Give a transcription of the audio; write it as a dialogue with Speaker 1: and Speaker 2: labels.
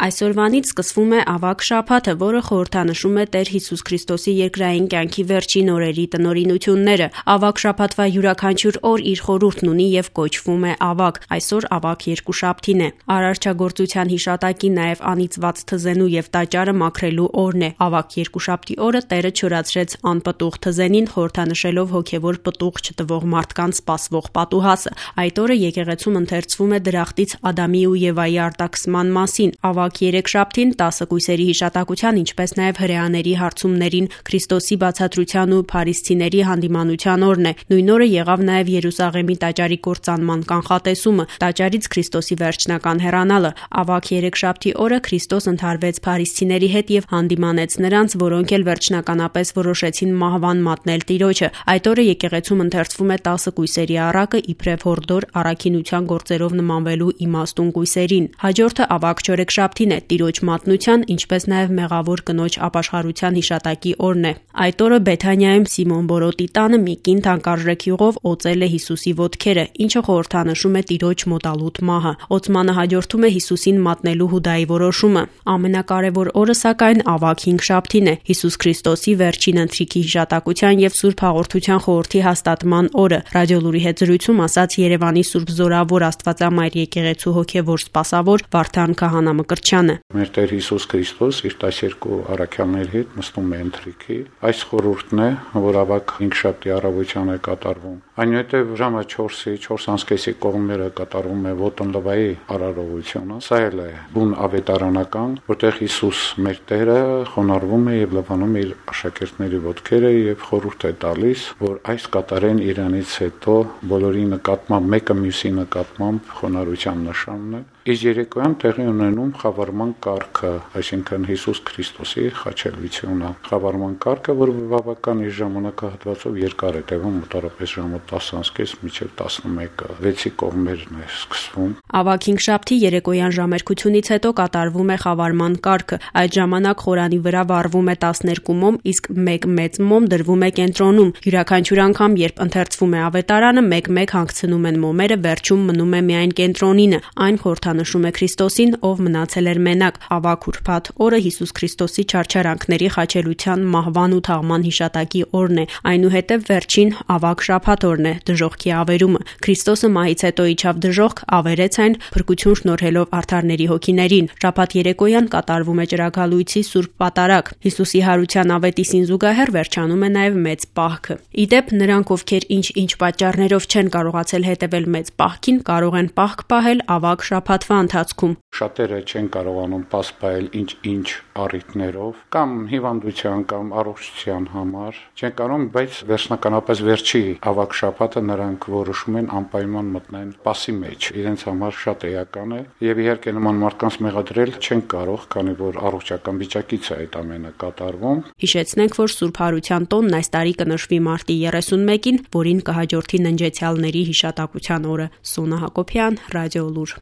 Speaker 1: Այսօրվանից սկսվում է ավագ շաբաթը, որը խորհրդանշում է Տեր Հիսուս Քրիստոսի երկրային կյանքի վերջին օրերի տնօրինությունները։ Ավագ շաբաթվա յուրաքանչյուր օր իր խորհուրդն ունի եւ կոչվում է ավագ։ Այսօր ավագ երկուշաբթին է։ Արարչագործության հիշատակի նաեւ անիծված թզենու եւ տաճարը մաքրելու օրն է։ Ավագ երկուշաբթի օրը Տերը չորացրեց անպտուղ թզենին, խորհրդանշելով հոգեվոր պտուղ չտվող մարդկանց սպասվող պատուհասը։ Այդ օրը եկեղեցում ընթերցվում է դրախտից Ադամի ու Եվայի արտաքսման մասին։ Ավագ երեքշաբթին 10 կույսերի հիշատակության, ինչպես նաև հրեաների հարցումներին, Քրիստոսի բացատրության ու փարիսցիների հանդիմանության օրն է։ Նույն օրը եղավ նաև Երուսաղեմի տաճարի կործանման կանխատեսումը, տաճարից Քրիստոսի վերջնական հեռանալը։ Ավագ երեքշաբթի օրը Քրիստոս ընդհարվեց փարիսցիների հետ եւ հանդիմանեց նրանց, որոնք էլ վերջնականապես որոշեցին մահվան մատնել Տիրոջը։ Այդ օրը եկեղեցում ընթերցվում է 10 կույսերի առակը, իբրև հորդոր առաքինության գործերով նմանվելու իմաստուն կույսերին։ Հաջորդը ավագ չորեքշաբթին է, Տիրոջ մատնության, ինչպես նաև մեղավոր կնոջ ապաշխարության հիշատակի օրն է։ Այդ օրը Բեթանիայում Սիմոն Բորոտի տանը մի կին թանկարժեք յուղով օծել է Հիսուսի ոտքերը, ինչը խորհրդանշում է Տիրոջ մոտալուտ մահը։ Օծմանը հաջորդում է Հիսուսին մատնելու Հուդայի որոշումը։ Ամենակարևոր օրը սակայն ավագ հինգշաբթին է, Հիսուս Քրիստոսի վերջին ընթրիքի հիշատակության եւ Սուրբ Հաղորդության խորհրդի հաստատման օրը։ Ռադիոլուրի հետ զրույցում ասաց Երևանի Սուրբ Զորավոր Աստվածամայր եկեղեցու հոգևոր սպասավոր Վարդան Քահանա Մկրտչյանը։
Speaker 2: Մեր Տեր Հիսուս Քրիստոս իր 12 առաքյալների հետ նստում է ընթրիքի։ Այս խորհուրդն է, որ ավագ հինգշաբթի առավոտյան է կատարվում։ Այնուհետև ժամը 4-ի 4:30-ի կողմերը կատարվում է ոտնլվայի արարողությունը։ Սա էլ է բուն ավետարանական, որտեղ Հիսուս մեր Տերը խոնարհվում է եւ լվանում է իր աշակերտների ոտքերը եւ խորհուրդ է տալիս, որ այս կատարեն իրանից հետո բոլորի նկատմամբ մեկը մյուսի նկատմամբ խոնարհության նշանն է։ Իսկ երեկոյան տեղի ունենում խավարման կարգը, այսինքն Հիսուս Քրիստոսի խաչելությունը։ Խավարման կարգը, որ բավական իր ժամանակահատվածով երկար է տևում, մոտավորապես ժամը 10:30 մինչև 11-ը, 6-ի կողմերն է սկսվում։
Speaker 1: Ավագ հինգշաբթի երեկոյան ժամերկությունից հետո կատարվում է խավարման կարգը։ Այդ ժամանակ խորանի վրա վառվում է 12 մոմ, իսկ 1 մեծ մոմ դրվում է կենտրոնում։ Յուրաքանչյուր անգամ, երբ ընթերցվում է ավետարանը, մեկ-մեկ հանգցնում են մոմերը, վերջում մնում է միայն կենտրոնինը։ Այն խորհրդանշում է Քրիստոսին, ով մնացել էր մենակ։ Ավագ ուրբաթ օրը Հիսուս Քրիստոսի չարչարանքների խաչելության, մահվան ու թաղման հիշատակի օրն է։ Այնուհետև վերջին ավագ շաբաթ օրն է, դժոխքի ավերումը։ Քրիստոսը մահից հետո իջավ դժոխք, ավերեց այն, փրկություն շնորհելով արդարների հոգիներին։ Շաբաթ երեկոյան կատարվում է ճրագալույցի Սուրբ Պատարագ։ Հիսուսի հարության ավետիսին զուգահեռ վերջանում է նաև մեծ պահքը։ Իդեպ նրանք, ովքեր ինչ պատճառներով չեն կարողացել հետևել մեծ պահքին, կարող են պահք պահել ավագ շաբաթվա ընթացքում։
Speaker 2: Շատերը չեն կարողանում պասպայել ինչ առիթներով, կամ հիվանդության կամ առողջության համար, չեն կարող, բայց վերջնականապես վերջի ավագ շաբաթը նրանք որոշում են անպայման մտնեն պասի մեջ։ Իրենց համար շատ էական է եւ իհարկե նման մարդկանց մեղադրել չեն կարող, քանի որ առողջական վիճակից է այդ ամենը կատարվում։
Speaker 1: Հիշեցնենք, որ Սուրբ Հարության տոնն այս տարի կնշվի մարտի 31-ին, որին կհաջորդի ննջեցյալների հիշատակության օրը։ Սոնա Հակոբյան, Ռադիոլուր։